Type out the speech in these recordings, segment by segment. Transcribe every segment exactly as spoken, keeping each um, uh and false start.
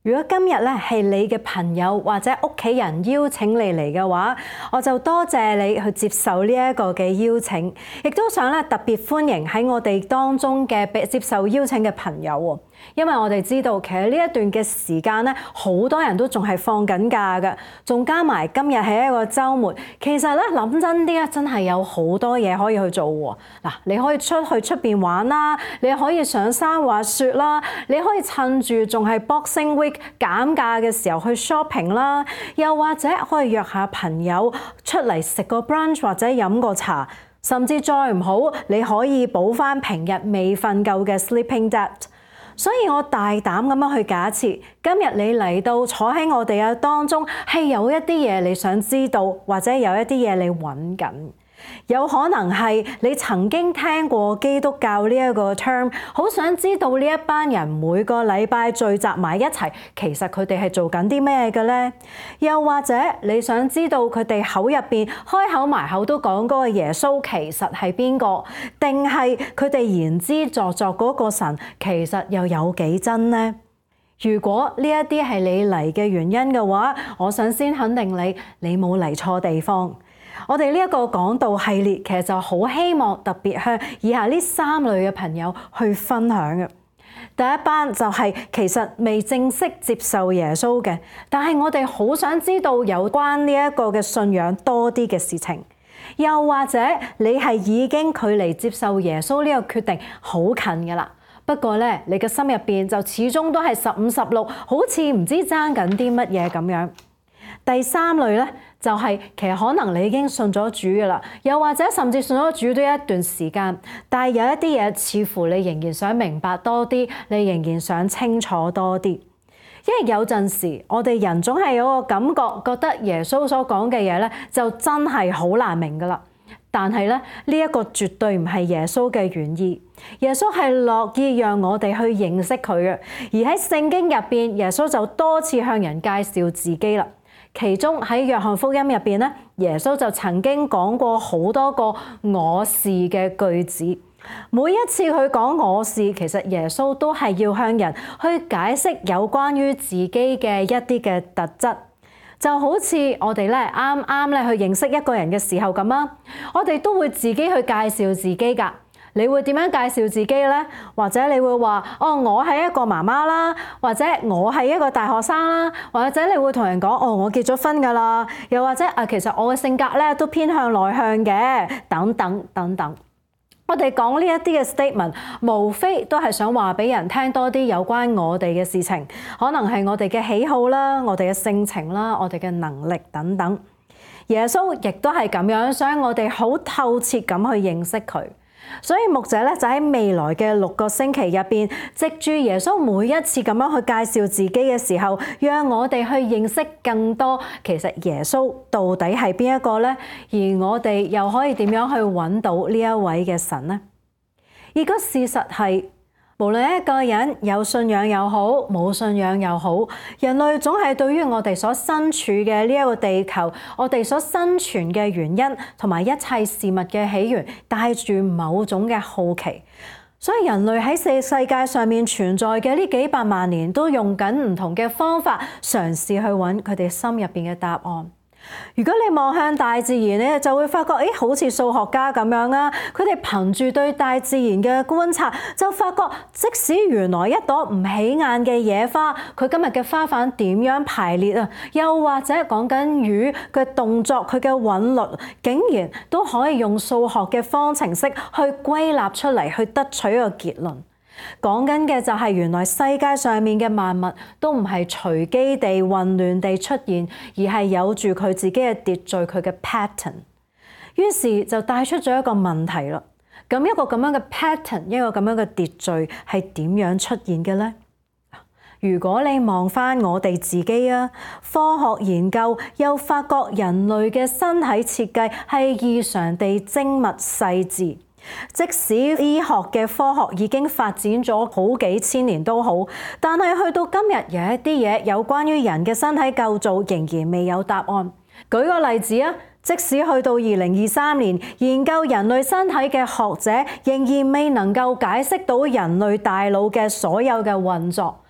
如果今日咧係你嘅朋友或者屋企人邀請你嚟嘅話，我就多謝你去接受呢一個嘅邀請，亦都想咧特別歡迎喺我哋當中嘅被接受邀請嘅朋友喎。因為我哋知道其實呢一段嘅時間咧，好多人都仲係放緊假嘅，仲加埋今日係一個週末。其實咧諗真啲咧，真係有好多嘢可以去做喎。嗱，你可以出去出邊玩啦，你可以上山滑雪啦，你可以趁住仲係 Boxing Week 減價嘅時候去 shopping 啦，又或者可以約下朋友出嚟食個 brunch 或者飲個茶，甚至再唔好，你可以補翻平日未瞓夠嘅 sleeping debt。所以我大膽咁樣去假設，今日你嚟到坐喺我哋嘅當中，係有一啲嘢你想知道，或者有一啲嘢你揾緊。有可能係你曾經聽過基督教呢一個 term， 好想知道呢一班人每個禮拜聚集埋一齊，其實佢哋係做緊啲咩嘅呢？又或者你想知道佢哋口入邊開口埋口都講嗰個耶穌其實係邊個，定係佢哋言之鑿鑿嗰個神其實又有幾真呢？如果呢一啲係你嚟嘅原因嘅話，我想先肯定你，你冇嚟錯地方。我哋呢一個講道系列其實就好希望特別向以下呢三類嘅朋友去分享嘅。第一班就係其實未正式接受耶穌嘅，但係我哋好想知道有關呢一個嘅信仰多啲嘅事情。又或者你係已經距離接受耶穌呢個決定好近㗎啦，不過咧你嘅心入邊就始終都係十五十六，好似唔知爭緊啲乜嘢咁樣。第三類咧就係其實可能你已經信咗主㗎啦，又或者甚至信咗主都一段時間，但係有一啲嘢似乎你仍然想明白多啲，你仍然想清楚多啲。因為有陣時我哋人總係有個感覺，覺得耶穌所講嘅嘢咧就真係好難明㗎啦。但係咧呢一個絕對唔係耶穌嘅原意。耶穌係樂意讓我哋去認識佢嘅，而喺聖經入邊，耶穌就多次向人介紹自己啦。其中喺約翰福音入邊咧，耶穌就曾經講過好多個我是嘅句子。每一次佢講我是，其實耶穌都係要向人去解釋有關於自己嘅一啲嘅特質。就好似我哋咧啱啱咧去認識一個人嘅時候咁啊，我哋都會自己去介紹自己㗎。你會點樣介紹自己呢？或者你會話哦，我係一個媽媽啦，或者我係一個大學生啦，或者你會同人講哦，我結咗婚㗎啦，又或者啊，其實我嘅性格咧都偏向內向嘅，等等等等。我哋講呢一啲嘅 statement， 無非都係想話俾人聽多啲有關我哋嘅事情，可能係我哋嘅喜好啦，我哋嘅性情啦，我哋嘅能力等等。耶穌亦都係咁樣，想我哋好透徹咁去認識佢。所以牧者咧就喺未來嘅六個星期入邊，藉住耶穌每一次咁樣去介紹自己嘅時候，讓我哋去認識更多其實耶穌到底係邊一個呢？而我哋又可以點樣去揾到呢一位嘅神呢？而個事實係，無論一個人有信仰又好，冇信仰又好，人類總係對於我哋所身處嘅呢一個地球，我哋所生存嘅原因同埋一切事物嘅起源，帶住某種嘅好奇。所以人類喺世世界上面存在嘅呢幾百萬年，都用緊唔同嘅方法嘗試去揾佢哋心入邊嘅答案。如果你望向大自然咧，就會發覺，誒，好似數學家咁樣啊！佢哋憑住對大自然嘅觀察，就發覺即使原來一朵唔起眼嘅野花，佢今日嘅花瓣點樣排列啊？又或者講緊魚嘅動作，佢嘅韻律，竟然都可以用數學嘅方程式去歸納出嚟，去得取一個結論。講緊嘅就係原來世界上面嘅萬物都唔係隨機地混亂地出現，而係有住佢自己嘅秩序，佢嘅 pattern。於是就帶出咗一個問題啦。咁一個咁樣嘅 pattern， 一個咁樣嘅秩序係點樣出現嘅呢？如果你望翻我哋自己啊，科學研究又發覺人類嘅身體設計係異常地精密細緻。即使醫學嘅科學已經發展咗好幾千年都好，但係去到今日有一啲嘢有關於人嘅身體構造仍然未有答案。舉個例子啊，即使去到二零二三年，研究人類身體嘅學者仍然未能夠解釋到人類大腦嘅所有嘅運作。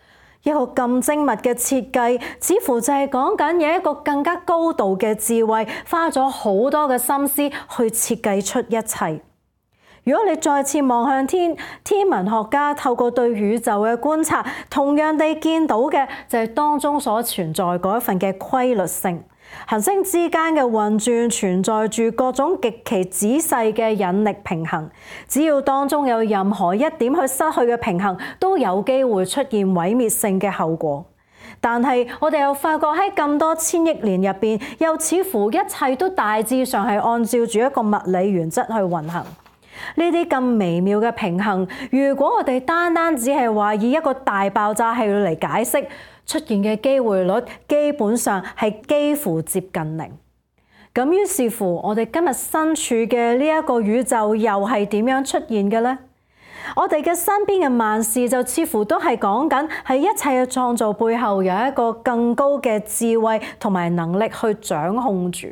一個咁精密嘅設計，似乎就係講緊有一個更加高度嘅智慧，花咗好多嘅心思去設計出一切。如果你再次望向天，天文學家透過對宇宙嘅觀察，同樣地見到嘅就係當中所存在嗰一份嘅規律性。行星之間嘅運轉存在住各種極其仔細嘅引力平衡，只要當中有任何一點去失去嘅平衡，都有機會出現毀滅性嘅後果。但係我哋又發覺喺咁多千億年入邊，又似乎一切都大致上係按照住一個物理原則去運行。呢啲咁微妙嘅平衡，如果我哋單單只係話以一個大爆炸係嚟解釋，出現嘅機會率基本上係幾乎接近零。咁於是乎，我哋今日身處嘅呢一個宇宙又係點樣出現嘅呢？我哋嘅身邊嘅萬事就似乎都係講緊係一切嘅創造背後有一個更高嘅智慧同埋能力去掌控住。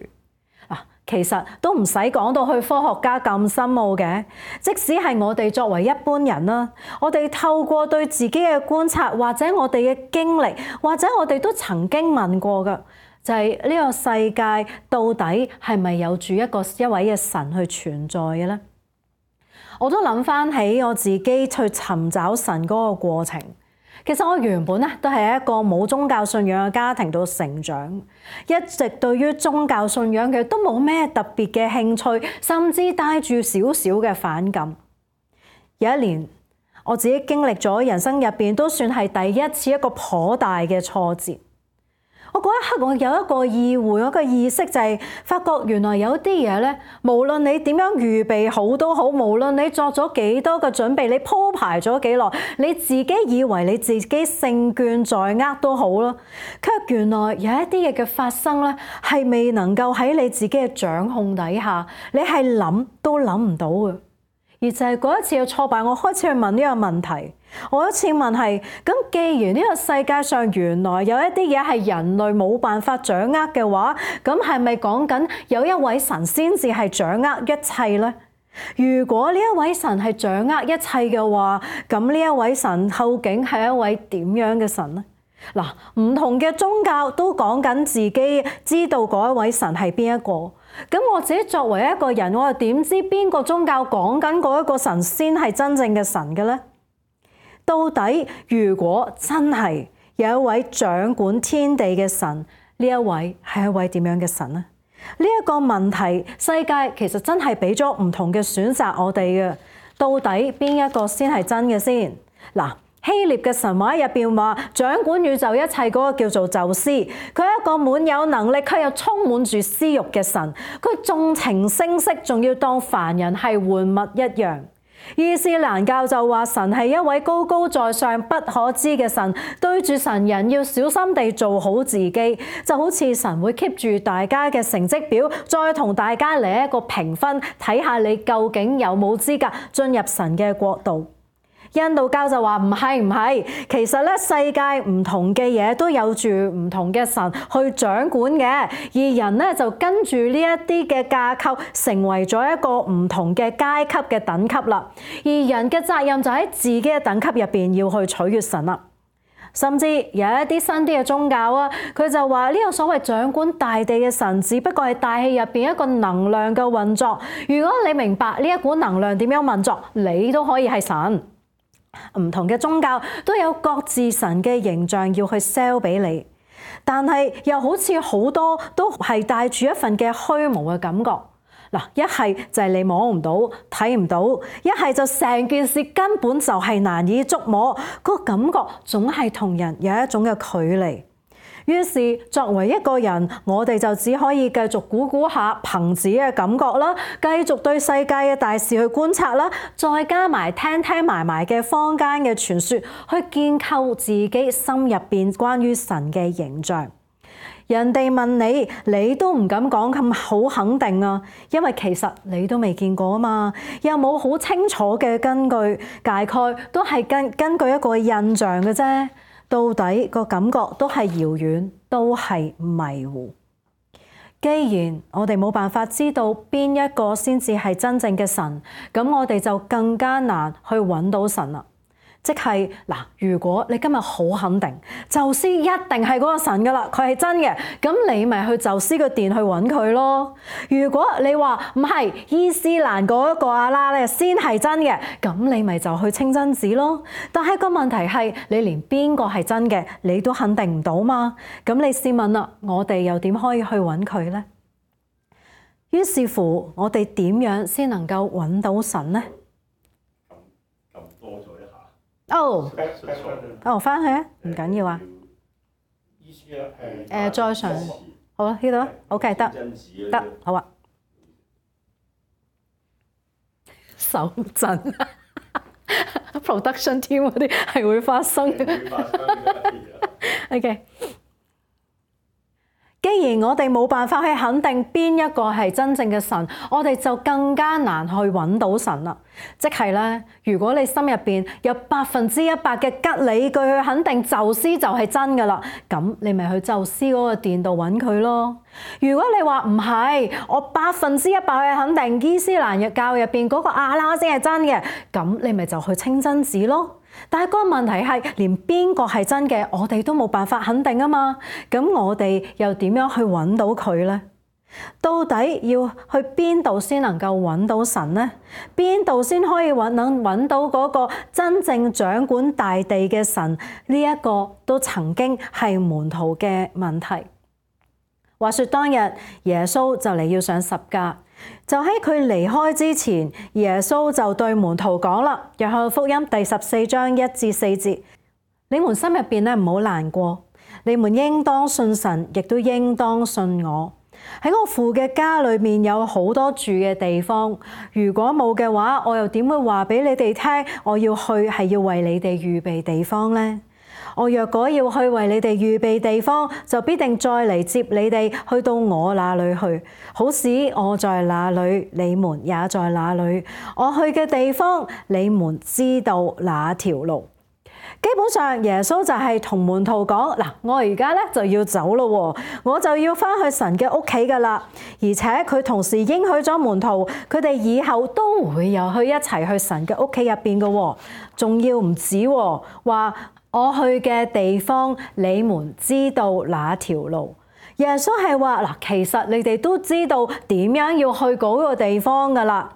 其實都唔使講到去科學家咁深奧嘅，即使係我哋作為一般人啦，我哋透過對自己嘅觀察，或者我哋嘅經歷，或者我哋都曾經問過嘅，就係呢個世界到底係咪有住一個一位嘅神去存在嘅咧？我都諗翻起我自己去尋找神嗰個過程。其實我原本咧都係一個冇宗教信仰嘅家庭度成長，一直對於宗教信仰嘅都冇咩特別嘅興趣，甚至帶住少少嘅反感。有一年，我自己經歷咗人生入邊都算係第一次一個頗大嘅挫折。我嗰一刻我有一個意會，一個意識就係發覺原來有啲嘢咧，無論你點樣預備好都好，無論你作咗幾多嘅準備，你鋪排咗幾耐，你自己以為你自己勝券在握都好啦，卻原來有一啲嘢嘅發生咧，係未能夠喺你自己嘅掌控底下，你係諗都諗唔到嘅。而就係嗰一次嘅挫敗，我開始去問呢個問題。我一次問係：咁既然呢個世界上原來有一啲嘢係人類冇辦法掌握嘅話，咁係咪講緊有一位神先至係掌握一切呢？如果呢一位神係掌握一切嘅話，咁呢一位神究竟係一位點樣嘅神呢？嗱，唔同嘅宗教都講緊自己知道嗰一位神係邊一個，咁我自己作為一個人，我又點知邊個宗教講緊嗰一個神先係真正嘅神嘅呢？到底如果真係有一位掌管天地嘅神，呢一位係一位點樣嘅神呢？呢一個問題，世界其實真係俾咗唔同嘅選擇我哋嘅，到底邊一個先係真嘅先？嗱，希臘嘅神話入邊話，掌管宇宙一切嗰個叫做宙斯，佢係一個滿有能力，卻又充滿住私慾嘅神，佢縱情聲色，仲要當凡人係玩物一樣。伊斯蘭教就話神係一位高高在上不可知嘅神，對住神人要小心地做好自己，就好似神會 keep 住大家嘅成績表，再同大家嚟一個評分，睇下你究竟有冇資格進入神嘅國度。印度教就話唔係唔係，其實咧世界唔同嘅嘢都有住唔同嘅神去掌管嘅，而人咧就跟住呢一啲嘅架構，成為咗一個唔同嘅階級嘅等級啦。而人嘅責任就喺自己嘅等級入邊要去取悅神啦。甚至有一啲新啲嘅宗教啊，佢就話呢個所謂掌管大地嘅神，只不過係大氣入邊一個能量嘅運作。如果你明白呢一股能量點樣運作，你都可以係神。唔同嘅宗教都有各自神嘅形象要去 sell 俾你，但係又好似好多都係帶住一份嘅虛無嘅感覺。嗱，一係就係你摸唔到、睇唔到，一係就成件事根本就係難以觸摸，個感覺總係同人有一種嘅距離。於是作為一個人，我哋就只可以繼續估估下憑自己嘅感覺啦，繼續對世界嘅大事去觀察啦，再加埋聽聽埋埋嘅坊間嘅傳說，去建構自己心入邊關於神嘅形象。人哋問你，你都唔敢講咁好肯定啊，因為其實你都未見過啊嘛，又冇好清楚嘅根據，大概都係根根據一個印象嘅啫。到底個感覺都係遙遠，都係迷糊。既然我哋冇辦法知道邊一個先至係真正嘅神，咁我哋就更加難去揾到神啦。即係嗱，如果你今日好肯定宙斯一定係嗰個神噶啦，佢係真嘅，咁你咪去宙斯個殿去揾佢咯。如果你話唔係，伊斯蘭嗰個阿拉咧先係真嘅，咁你咪就去清真寺咯。但係個問題係，你連邊個係真嘅你都肯定唔到嘛？咁你試問啦，我哋又點可以去揾佢呢？於是乎，我哋點樣先能夠揾到神呢？撳多咗一下。哦，哦，翻去啊，唔緊要啊。意思啊，誒，再上，好啊，呢度啊 ，OK， 得，得，好啊。手震，production team 嗰啲係會發生嘅。OK。既然我哋冇辦法去肯定邊一個係真正嘅神，我哋就更加難去揾到神啦。即係咧，如果你心入邊有百分之一百嘅吉理據去肯定宙斯就係真噶啦，咁你咪去宙斯嗰個殿度揾佢咯。如果你話唔係，我百分之一百去肯定伊斯蘭教入邊嗰個阿拉先係真嘅，咁你咪就去清真寺咯。但係個問題係，連邊個係真嘅，我哋都冇辦法肯定啊嘛。咁我哋又點樣去揾到佢呢？到底要去邊度先能夠揾到神呢？邊度先可以揾能揾到嗰個真正掌管大地嘅神？呢一個都曾經係門徒嘅問題。話說當日耶穌就嚟要上十架。就喺佢離開之前，耶穌就對門徒講啦，《約翰福音》第十四章一至四節：你們心入邊咧唔好難過，你們應當信神，亦都應當信我。喺我父嘅家裏面有好多住嘅地方，如果冇嘅話，我又點會話俾你哋聽，我要去係要為你哋預備地方呢？我若果要去為你哋預備地方，就必定再嚟接你哋去到我那裏去，好使我在那裏，你們也在那裏。我去嘅地方，你們知道那條路。基本上耶穌就係同門徒講嗱，我而家咧就要走咯，我就要翻去神嘅屋企噶啦。而且佢同時應許咗門徒，佢哋以後都會又去一齊去神嘅屋企入邊嘅，仲要唔止話。我去嘅地方，你們知道哪條路？耶穌係話嗱，其實你哋都知道點樣要去嗰個地方噶啦。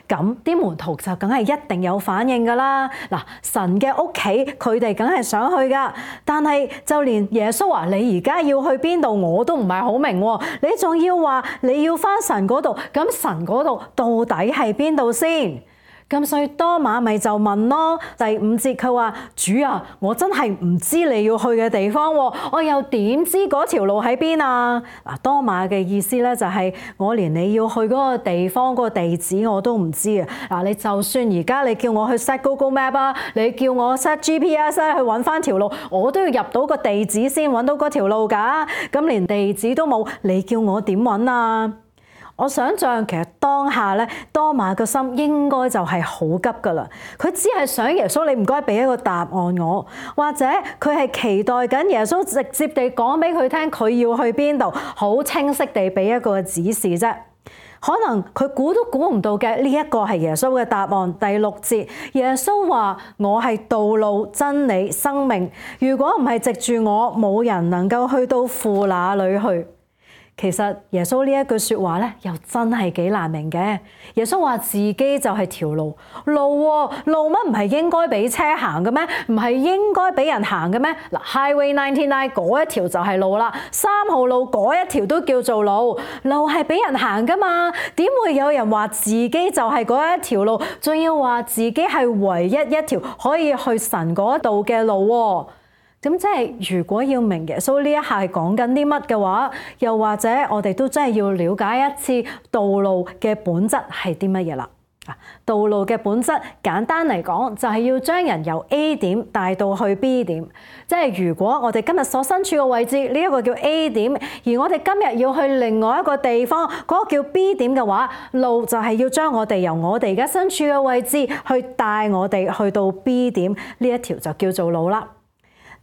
咁啲門徒就梗係一定有反應噶啦。嗱，神嘅屋企，佢哋梗係想去噶。但係就連耶穌話你而家要去邊度，我都唔係好明。你仲要話你要返神嗰度，咁神嗰度到底係邊度先？咁所以多馬咪就問咯，第五節佢話：主啊，我真係唔知你要去嘅地方，我又點知嗰條路喺邊啊？嗱，多馬嘅意思咧就係我連你要去嗰個地方嗰個地址我都唔知啊！嗱，你就算而家你叫我去 set Google Map 啊，你叫我 set G P S 去揾翻條路，我都要入到個地址先揾到嗰條路㗎。咁連地址都冇，你叫我點揾啊？我想象其實當下咧，多馬個心應該就係好急噶啦。佢只係想耶穌，你唔該俾一個答案我，或者佢係期待緊耶穌直接地講俾佢聽，佢要去邊度，好清晰地俾一個指示啫。可能佢估都估唔到嘅呢一個係耶穌嘅答案。第六節，耶穌話：我係道路、真理、生命。如果唔係藉住我，冇人能夠去到父那裏去。其實耶穌呢一句說話咧，又真係幾難明嘅。耶穌話自己就係條路，路喎，路乜唔係應該俾車行嘅咩？唔係應該俾人行嘅咩？嗱，Highway ninety-nine 嗰一條就係路啦，三號路嗰一條都叫做路，路係俾人行噶嘛？點會有人話自己就係嗰一條路，仲要話自己係唯一一條可以去神嗰度嘅路喎？咁即係如果要明耶穌呢一下係講緊啲乜嘅話，又或者我哋都真係要了解一次道路嘅本質係啲乜嘢啦。道路嘅本質簡單嚟講就係要將人由 A 點帶到去 B 點。即係如果我哋今日所身處嘅位置呢一個叫 A 點，而我哋今日要去另外一個地方嗰個叫 B 點嘅話，路就係要將我哋由我哋而家身處嘅位置去帶我哋去到 B 點，呢一條就叫做路啦。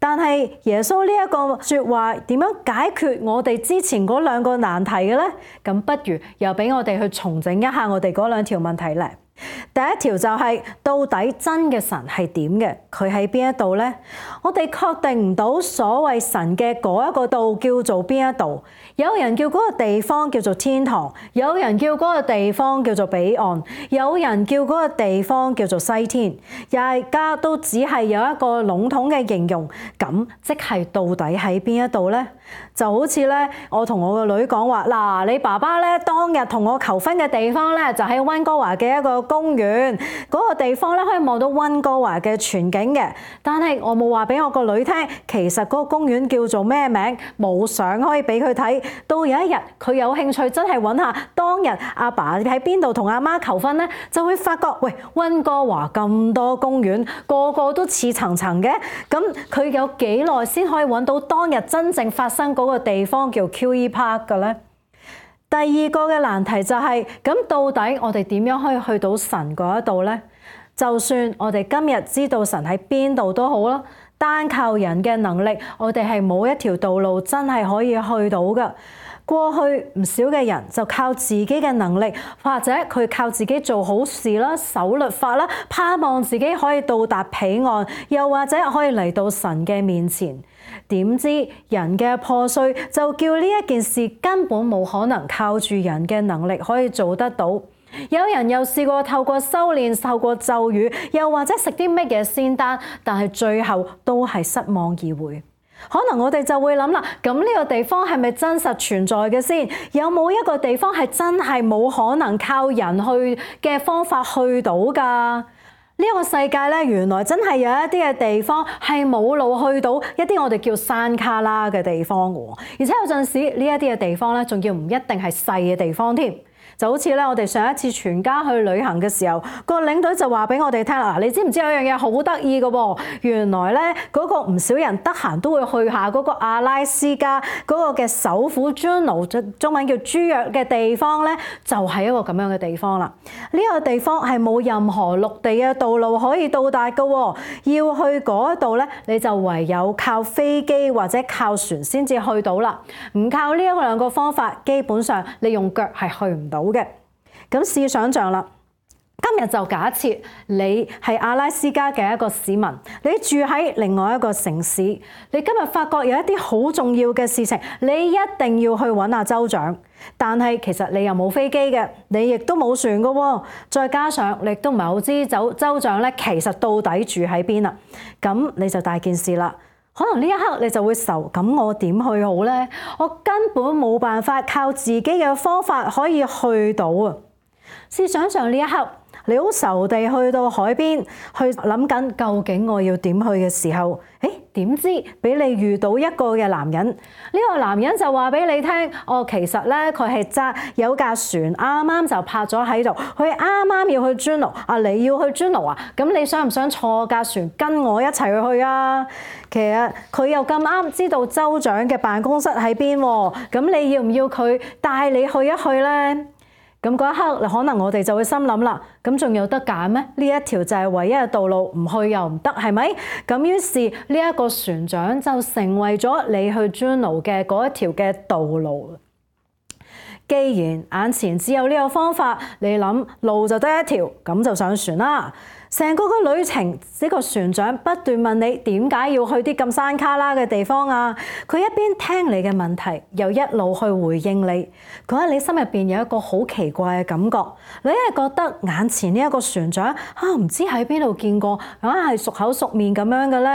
但係耶穌呢一個說話點樣解決我哋之前嗰兩個難題嘅呢？咁不如又俾我哋去重整一下我哋嗰兩條問題咧。第一條就係到底真嘅神係點嘅？佢喺邊一度呢？我哋確定唔到所謂神嘅嗰一個度叫做邊一度。有人叫嗰個地方叫做天堂，有人叫嗰個地方叫做彼岸，有人叫嗰個地方叫做西天，大家都只係有一個籠統嘅形容。咁即係到底喺邊一度呢？就好似咧，我同我個女講話，嗱，你爸爸咧當日同我求婚嘅地方咧，就喺溫哥華嘅一個公園，嗰個地方咧可以望到溫哥華嘅全景嘅。但係我冇話俾我個女聽，其實嗰個公園叫做咩名，冇相可以俾佢睇。到有一日佢有興趣真係揾下當日阿爸喺邊度同阿媽求婚咧，就會發覺，喂，溫哥華咁多公園，個個都似層層嘅，咁佢有幾耐先可以揾到當日真正發生嗰個地方叫 Q E Park 嘅咧？第二個嘅難題就係，咁到底我哋點樣可以去到神嗰一度咧？就算我哋今日知道神喺邊度都好啦，單靠人嘅能力，我哋係冇一條道路真係可以去到嘅。過去唔少嘅人就靠自己嘅能力，或者佢靠自己做好事啦、守律法啦，盼望自己可以到達彼岸，又或者可以嚟到神嘅面前。點知人嘅破碎就叫呢一件事根本冇可能靠住人嘅能力可以做得到。有人又試過透過修煉、透過咒語，又或者食啲乜嘢仙丹，但係最後都係失望而回。可能我哋就會諗啦，咁呢個地方係咪真實存在嘅先？有冇一個地方係真係冇可能靠人去嘅方法去到㗎？呢一個世界咧，原來真係有一啲嘅地方係冇路去到一啲我哋叫山卡拉嘅地方嘅，而且有陣時呢一啲嘅地方咧，仲要唔一定係細嘅地方添。就好似咧，我哋上一次全家去旅行嘅時候，個領隊就話俾我哋聽啦，你知唔知有樣嘢好得意嘅喎？原來咧，嗰個唔少人得閒都會去下嗰個阿拉斯加嗰個嘅首府 Juneau， 中文叫朱約嘅地方咧，就係一個咁樣嘅地方啦。呢個地方係冇任何陸地嘅道路可以到達嘅喎，要去嗰度咧，你就唯有靠飛機或者靠船先至去到啦。唔靠呢一兩個方法，基本上你用腳係去唔到嘅。咁試想像啦，今日就假設你係阿拉斯加嘅一個市民，你住喺另外一個城市，你今日發覺有一啲好重要嘅事情，你一定要去揾阿州長，但係其實你又冇飛機嘅，你亦都冇船嘅喎，再加上你亦都唔係好知州州長咧，其實到底住喺邊啦，咁你就大件事啦。可能呢一刻你就會愁，咁我點去好呢？我根本冇辦法靠自己嘅方法可以去到啊！試想像呢一刻，你好愁地去到海邊，去諗緊究竟我要點去嘅時候，誒點知俾你遇到一個嘅男人，呢個男人就話俾你聽，哦，其實咧佢係揸有架船，啱啱就泊咗喺度，佢啱啱要去 Juneau， 啊你要去 Juneau啊，咁你想唔想坐架船跟我一齊去啊？其實佢又咁啱知道州長嘅辦公室喺邊喎，咁你要唔要佢帶你去一去咧？咁嗰一刻，可能我哋就會心諗啦，咁仲有得揀咩？呢一條就係唯一嘅道路，唔去又唔得，係咪？咁於是呢一個船長就成為咗你去 Juneau 嘅嗰一條嘅道路。既然眼前只有呢個方法，你諗路就得一條，咁就上船啦。成個個旅程，呢個船長不斷問你點解要去啲咁山卡拉嘅地方啊？佢一邊聽你嘅問題，又一路去回應你。嗰日你心入邊有一個好奇怪嘅感覺，你係覺得眼前呢一個船長啊，唔知喺邊度見過，硬係熟口熟面咁樣嘅咧。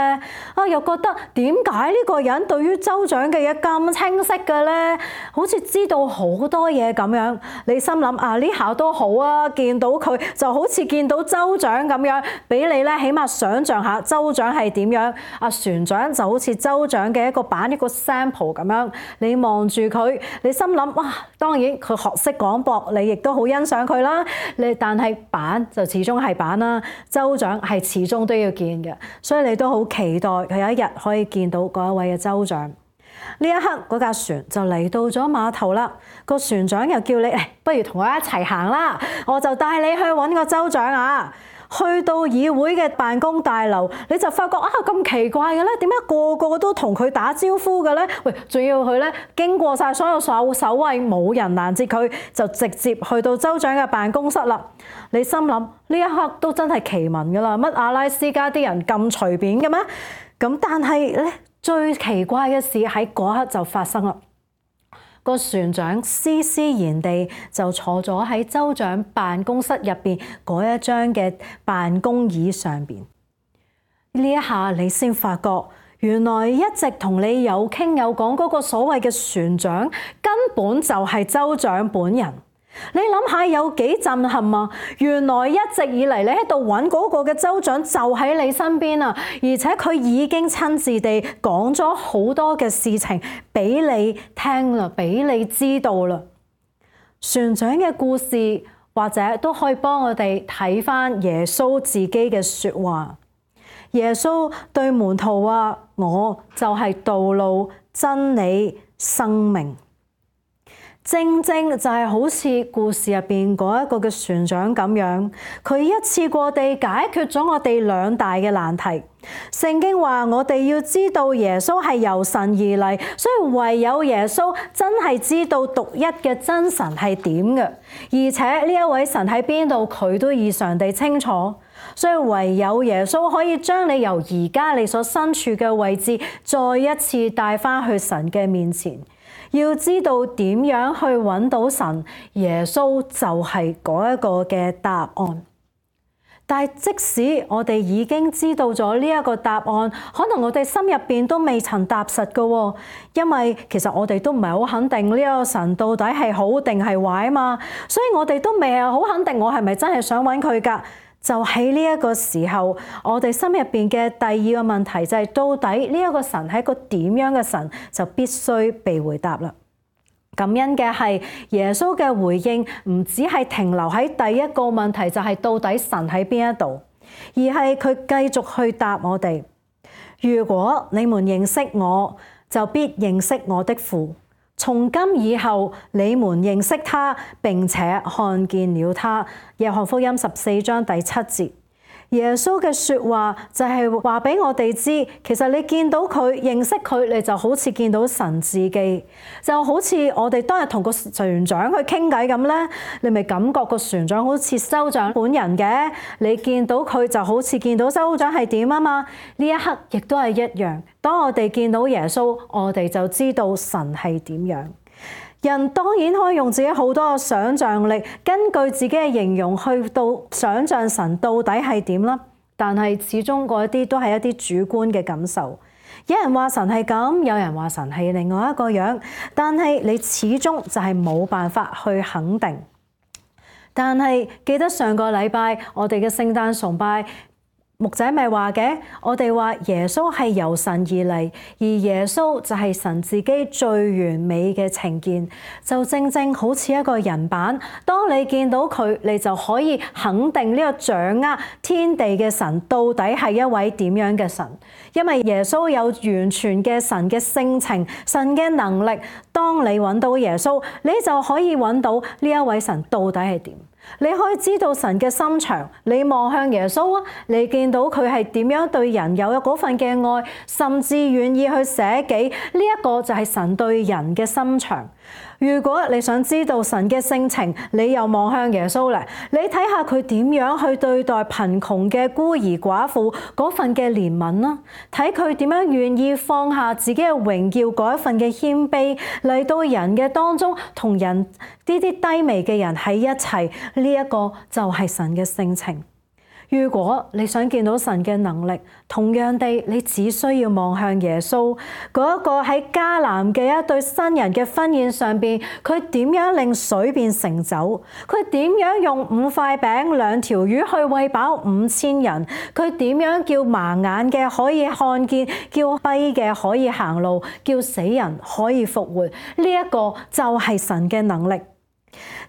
啊，又覺得點解呢個人對於州長嘅嘢咁清晰嘅咧？好似知道好多嘢咁樣。你心諗啊，呢下都好啊，見到佢就好似見到州長咁樣。俾你咧，起碼想像下州長係點樣？阿船長就好似州長嘅一個版，一個 sample 咁樣。你望住佢，你心諗哇，當然佢學識廣播，你亦都好欣賞佢啦。你但係版就始終係版啦，州長係始終都要見嘅，所以你都好期待佢有一日可以見到嗰一位嘅州長。呢一刻嗰架船就嚟到咗碼頭啦，個船長又叫你，誒，不如同我一齊行啦，我就帶你去揾個州長啊！去到議會嘅辦公大樓，你就發覺啊，咁奇怪嘅咧，點解個個都同佢打招呼嘅咧？喂，仲要佢咧經過晒所有守守衛，冇人攔截佢，就直接去到州長嘅辦公室啦。你心諗呢一刻都真係奇聞噶啦，乜阿拉斯加啲人咁隨便嘅咩？咁但係咧最奇怪嘅事喺嗰刻就發生啦。個船長斯斯然地就坐咗喺州長辦公室入邊嗰一張嘅辦公椅上邊。呢一下你先發覺，原來一直同你有傾有講嗰個所謂嘅船長，根本就係州長本人。你諗下有幾震撼啊！原來一直以嚟你喺度揾嗰個嘅州長就喺你身邊啊，而且佢已經親自地講咗好多嘅事情俾你聽啦，俾你知道啦。船長嘅故事或者都可以幫我哋睇返耶穌自己嘅說話。耶穌對門徒話：我就係道路、真理、生命。正正就係好似故事入邊嗰一個嘅船長咁樣，佢一次過地解決咗我哋兩大嘅難題。聖經話我哋要知道耶穌係由神而嚟，所以唯有耶穌真係知道獨一嘅真神係點嘅，而且呢一位神喺邊度，佢都異常地清楚。所以唯有耶穌可以將你由而家你所身處嘅位置，再一次帶翻去神嘅面前。要知道點樣去揾到神，耶穌就係嗰一個嘅答案。但係即使我哋已經知道咗呢一個答案，可能我哋心入邊都未曾踏實㗎，因為其實我哋都唔係好肯定呢一個神到底係好定係壞啊嘛，所以我哋都未係好肯定我係咪真係想揾佢㗎。就喺呢一個時候，我哋心入邊嘅第二個問題就係，到底呢一個神係一個點樣嘅神，就必須被回答啦。感恩嘅係耶穌嘅回應唔只係停留喺第一個問題，就係到底神喺邊一度，而係佢繼續去答我哋。如果你們認識我，就必認識我的父。從今以後，你們認識他，並且看見了他。約翰福音十四章第七節，耶穌嘅說話就係話俾我哋知，其實你見到佢，認識佢，你就好似見到神自己，就好似我哋當日同個船長去傾偈咁咧，你咪感覺個船長好似州長本人嘅，你見到佢就好似見到州長係點啊嘛。呢一刻亦都係一樣，當我哋見到耶穌，我哋就知道神係點樣。人當然可以用自己好多嘅想像力，根據自己嘅形容去到想像神到底係點啦。但係始終嗰一啲都係一啲主觀嘅感受。有人話神係咁，有人話神係另外一個樣，但係你始終就係冇辦法去肯定。但係記得上個禮拜我哋嘅聖誕崇拜，牧仔咪話嘅，我哋話耶穌係由神而嚟，而耶穌就係神自己最完美嘅呈現，就正正好似一個人版。當你見到佢，你就可以肯定呢個掌握天地嘅神到底係一位點樣嘅神，因為耶穌有完全嘅神嘅性情、神嘅能力。當你揾到耶穌，你就可以揾到呢一位神到底係點。你可以知道神嘅心腸，你望向耶穌啊，你見到佢係點樣對人有嗰份嘅愛，甚至願意去捨己，呢一個就係神對人嘅心腸。如果你想知道神嘅性情，你又望向耶穌嚟，你睇下佢點樣去對待貧窮嘅孤兒寡婦嗰份嘅憐憫啦，睇佢點樣願意放下自己嘅榮耀嗰一份嘅謙卑嚟到人嘅當中，同人呢啲低微嘅人喺一齊，呢一個就係神嘅性情。如果你想見到神嘅能力，同樣地，你只需要望向耶穌嗰一個喺迦南嘅一對新人嘅婚宴上邊，佢點樣令水變成酒，佢點樣用五塊餅兩條魚去餵飽五千人，佢點樣叫盲眼嘅可以看見，叫跛嘅可以行路，叫死人可以復活，呢、這、一個就係神嘅能力。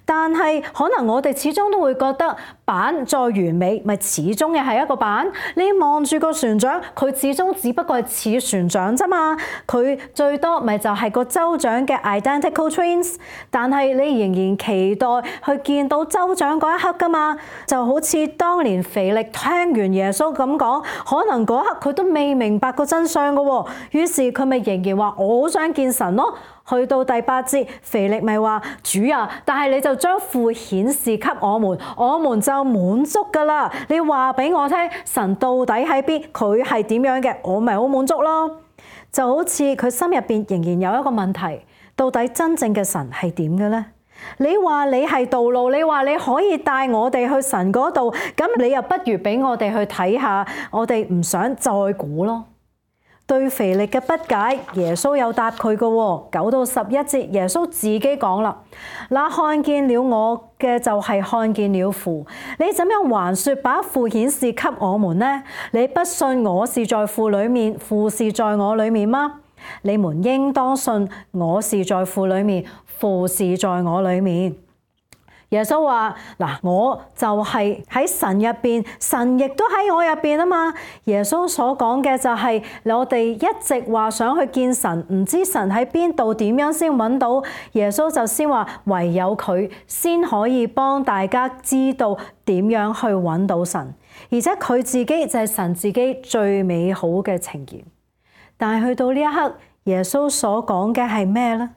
但係可能我哋始終都會覺得，板再完美，咪始終嘅係一個板。你望住個船長，佢始終只不過係似船長啫嘛。佢最多咪就係個州長嘅 identical twins， 但係你仍然期待去見到州長嗰一刻噶嘛。就好似當年腓力聽完耶穌咁講，可能嗰刻佢都未明白個真相噶喎，於是佢咪仍然話我好想見神咯。去到第八節，腓力咪話主啊，但係你就將父顯示給我們，我們就滿足噶啦。你話俾我聽，神到底喺邊，佢係點樣嘅，我咪好滿足咯。就好似佢心入邊仍然有一個問題，到底真正嘅神係點嘅呢？你話你係道路，你話你可以帶我哋去神嗰度，咁你又不如俾我哋去睇下，我哋唔想再估咯。對腓力嘅不解，耶穌有答佢嘅喎。九到十一節，耶穌自己講啦：那看見了我嘅就係看見了父。你怎樣還說把父顯示給我們呢？你不信我是在父裡面，父是在我裡面嗎？你們應當信我是在父裡面，父是在我裡面。耶穌話：嗱，我就係喺神入邊，神亦都喺我入邊啊嘛。耶穌所講嘅就係我哋一直話想去見神，唔知神喺邊度，點樣先揾到？耶穌就先話唯有佢先可以幫大家知道點樣去揾到神，而且佢自己就係神自己最美好嘅呈現。但係去到呢一刻，耶穌所講嘅係咩呢？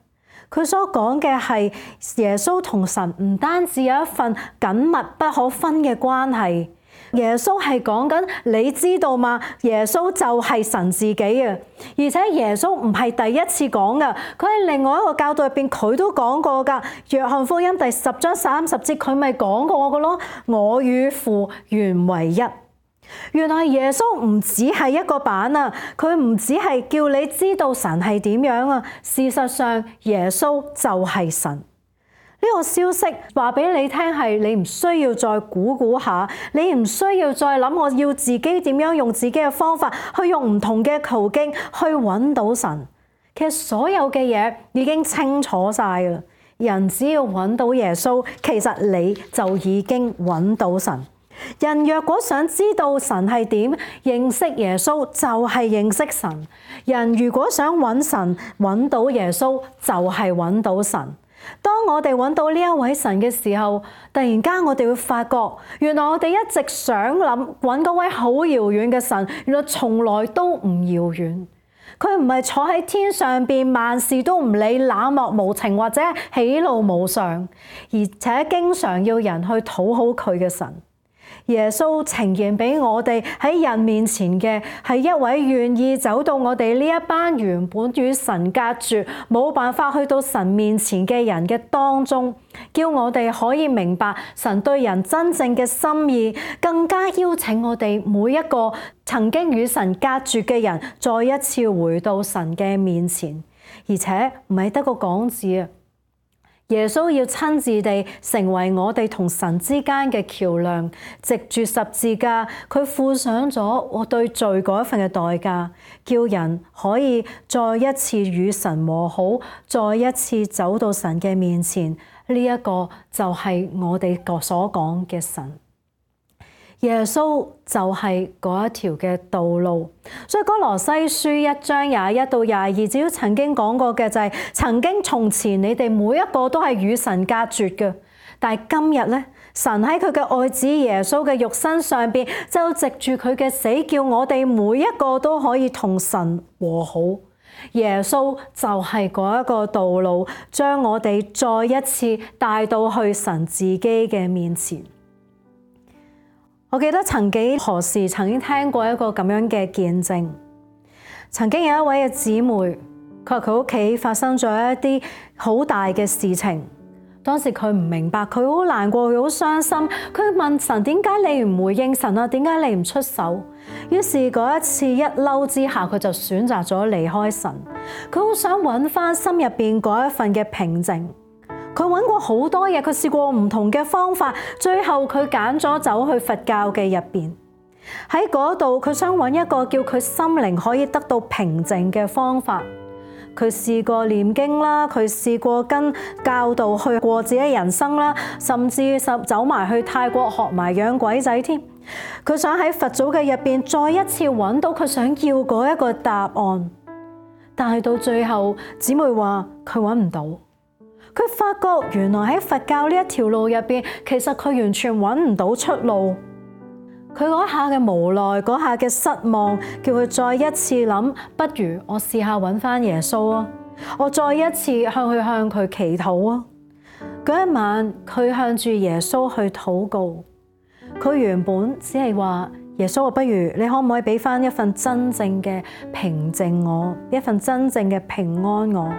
佢所講嘅係耶穌同神唔單止有一份緊密不可分嘅關係，耶穌係講緊，你知道嗎？耶穌就係神自己啊！而且耶穌唔係第一次講噶，佢喺另外一個教導入邊佢都講過噶。約翰福音第十章三十節佢咪講過噶咯，我與父原為一。原來耶穌唔只係一個板啊，佢唔只係叫你知道神係點樣啊，事實上耶穌就係神。呢個消息話俾你聽係你唔需要再估估下，你唔需要再諗我要自己點樣用自己嘅方法去用唔同嘅途徑去揾到神。其實所有嘅嘢已經清楚晒啦，人只要揾到耶穌，其實你就已經揾到神。人若果想知道神係點，認識耶穌就係認識神。人如果想揾神，揾到耶穌就係揾到神。當我哋揾到呢一位神嘅時候，突然間我哋會發覺，原來我哋一直想諗揾嗰位好遙遠嘅神，原來從來都唔遙遠。佢唔係坐喺天上邊，萬事都唔理，冷漠無情或者喜怒無常，而且經常要人去討好佢嘅神。耶穌呈現俾我哋喺人面前嘅係一位願意走到我哋呢一班原本與神隔絕、冇辦法去到神面前嘅人嘅當中，叫我哋可以明白神對人真正嘅心意，更加邀請我哋每一個曾經與神隔絕嘅人，再一次回到神嘅面前，而且唔係得個講字啊！耶穌要親自地成為我哋同神之間嘅橋梁，藉住十字架，佢付上咗我對罪嗰一份嘅代價，叫人可以再一次與神和好，再一次走到神嘅面前。呢一個就係我哋所講嘅神。耶穌就係嗰一條嘅道路，所以哥羅西書一章廿一到廿二節曾經講過嘅就係、是，曾經從前你哋每一個都係與神隔絕嘅，但係今日咧，神喺佢嘅愛子耶穌嘅肉身上邊，就藉住佢嘅死，叫我哋每一個都可以同神和好。耶穌就係嗰一個道路，將我哋再一次帶到去神自己嘅面前。我記得曾幾何時曾經聽過一個咁樣嘅見證，曾經有一位嘅姊妹，佢話佢屋企發生咗一啲好大嘅事情，當時佢唔明白，佢好難過，佢好傷心，佢問神，點解你唔回應神啊？點解你唔出手？於是嗰一次一嬲之下，佢就選擇咗離開神，佢好想揾翻心入邊嗰一份嘅平靜。佢揾過好多嘢，佢試過唔同嘅方法，最後佢揀咗走去佛教嘅入邊。喺嗰度，佢想揾一個叫佢心靈可以得到平靜嘅方法。佢試過念經啦，佢試過跟教導去過自己人生啦，甚至走埋去泰國學埋養鬼仔添。佢想喺佛祖嘅入邊再一次揾到佢想要嗰一個答案，但係到最後，姊妹話佢揾唔到。佢發覺原來喺佛教呢一條路入邊，其實佢完全揾唔到出路。佢嗰下嘅無奈，嗰下嘅失望，叫佢再一次諗，不如我試下揾翻耶穌啊！我再一次向佢向佢祈禱啊！嗰一晚，佢向住耶穌去禱告。佢原本只係話耶穌啊，不如你可唔可以俾翻一份真正嘅平靜我，一份真正嘅平安我？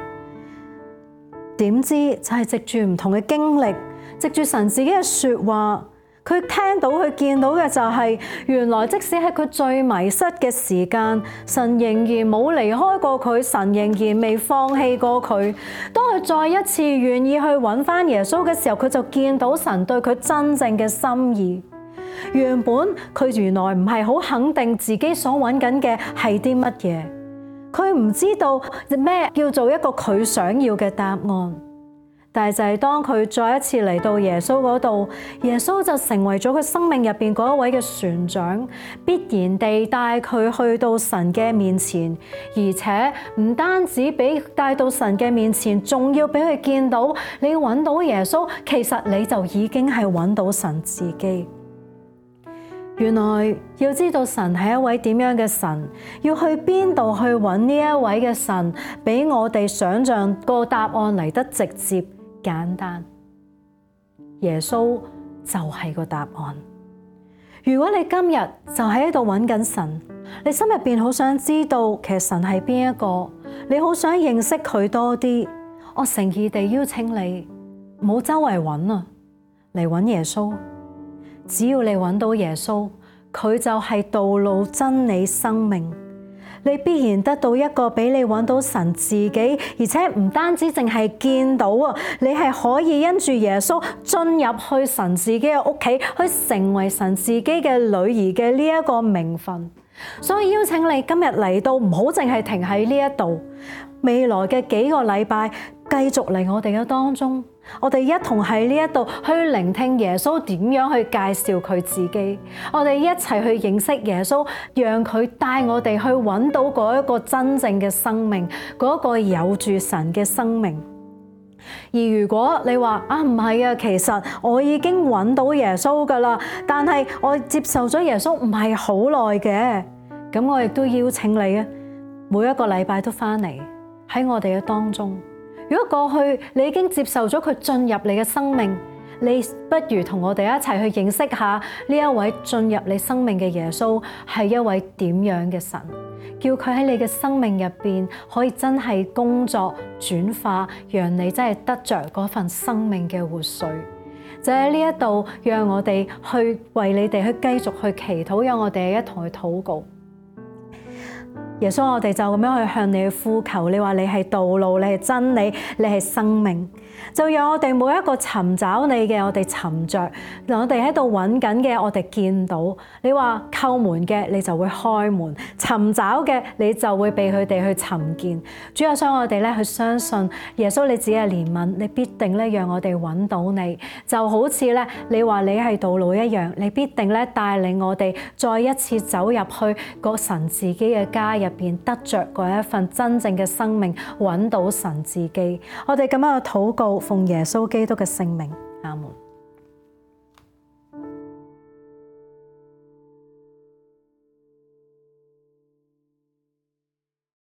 點知就係藉住唔同嘅經歷，藉住神自己嘅說話，佢聽到佢見到嘅就係，原來即使喺佢最迷失嘅時間，神仍然冇離開過佢，神仍然未放棄過佢。當佢再一次願意去揾翻耶穌嘅時候，佢就見到神對佢真正嘅心意。原本佢原來唔係好肯定自己所揾緊嘅係啲乜嘢。佢唔知道咩叫做一個佢想要嘅答案，但係就係當佢再一次嚟到耶穌嗰度，耶穌就成為咗佢生命入邊嗰一位嘅船長，必然地帶佢去到神嘅面前，而且唔單止俾帶到神嘅面前，仲要俾佢見到你揾到耶穌，其實你就已經係揾到神自己。原來要知道神係一位點樣嘅神，要去邊度去揾呢一位嘅神，比我哋想象個答案嚟得直接簡單。耶穌就係個答案。如果你今日就喺度揾緊神，你心入邊好想知道其實神係邊一個，你好想認識佢多啲，我誠意地邀請你，唔好周圍揾啊，嚟揾耶穌。只要你揾到耶穌，佢就係道路、真理、生命。你必然得到一個俾你揾到神自己，而且唔單止淨係見到啊，你係可以因住耶穌進入去神自己嘅屋企，去成為神自己嘅女兒嘅呢一個名分。所以邀請你今日嚟到，唔好淨係停喺呢一度，未來嘅幾個禮拜繼續嚟我哋嘅當中。我哋一同喺呢一度去聆聽耶穌點樣去介紹佢自己，我哋一齊去認識耶穌，讓佢帶我哋去揾到嗰一個真正嘅生命，嗰個有住神嘅生命。而如果你話啊，唔係啊，其實我已經揾到耶穌噶啦，但係我接受咗耶穌唔係好耐嘅，咁我亦都邀請你啊，每一個禮拜都翻嚟喺我哋嘅當中。如果過去你已經接受咗佢進入你嘅生命，你不如同我哋一齊去認識下呢一位進入你生命嘅耶穌係一位點樣嘅神，叫佢喺你嘅生命入邊可以真係工作轉化，讓你真係得着嗰份生命嘅活水。就喺呢一度，讓我哋去為你哋去繼續去祈禱，讓我哋一同去禱告。耶穌，我哋就咁樣去向你去呼求，你話你係道路，你係真理，你係生命，就讓我哋每一個尋找你嘅，我哋尋着；我哋喺度揾緊嘅，我哋見到。你話叩門嘅，你就會開門；尋找嘅，你就會被佢哋去尋見。主啊，想我哋咧去相信耶穌你自己嘅憐憫，你必定咧讓我哋揾到你，就好似咧你話你係道路一樣，你必定咧帶領我哋再一次走入去個神自己嘅家入邊，得着嗰一份真正嘅生命，揾到神自己。我哋咁樣去禱告，奉耶穌基督嘅聖名，阿門。